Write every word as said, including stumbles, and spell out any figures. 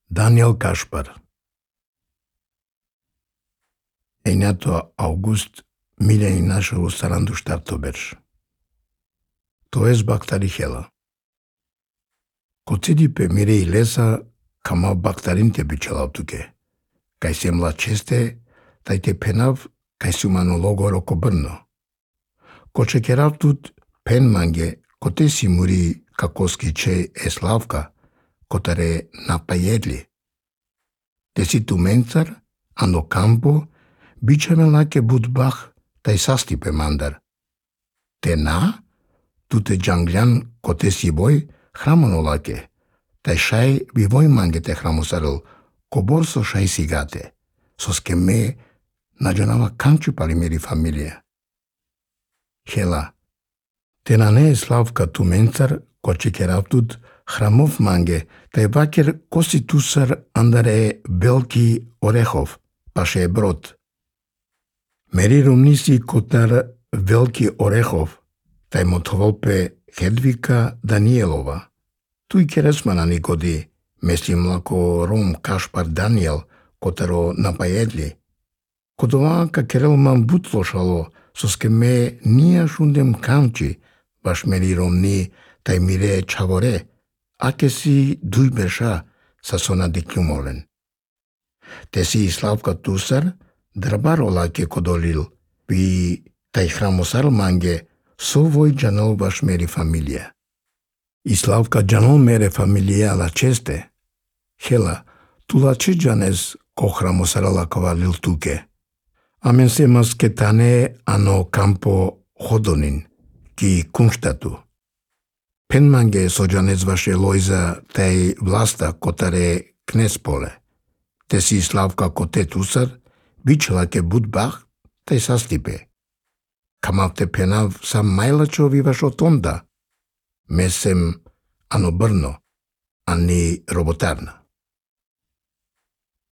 Daniel Kaspar. È nato august mille novecentosettantaquattro startoberš. To jest baktari hela. Kocidi pe mirei lesa kama baktarin te bicelavtuke. Kaj semla ceste, taj te penav kaj sumano logoro kobrno. Koče keravtut pen mange kote si muri kakoski ce eslavka, kotare napajedli. Desi tu mencar, ano campo, bicevela ke budbach taj sastipe mandar. Te na, tute janglian kote si boj hramonolake, taj šaj vivoj mange te hramosaril, koborso šaj sigate, soske me nađonava kanču pali miri familija. Hela, te na ne slavka tu mencar, koče keravtut hramov mange, taj vaker kosi tusar andare Belki Orehov, paše je brod. Meri rumnisi kotar Veliki Orehov, taj motvolpe Hedvika Danielova. Tu i keresmana nikodi, mislim lako Rom Kaspar Daniel, kotaro napajedli. Kodovaka kerelman butlošalo, soske me nijaš undem kanči, baš meri romni taj mire čavore, ake si dujbeša sa sona dikjumolen. Te si slavka tusar, drabaro lake kodolil, pi taj hramosar mange, sovoj džanol baš meri familija. I slavka džanol mere familija la česte. Hela, tu la če džanes ko hramosara lakova lil tuke. Amen se masketane ano campo hodonin, ki kunštatu. Pen mange sođanec vaše lojza taj vlasta kotare knespole. Te si slavka kote tusar, bičela ke budbach, taj sastipe. Kamav te penav sam majlačovi vaš otonda. Mesem ano brno, ani robotarna.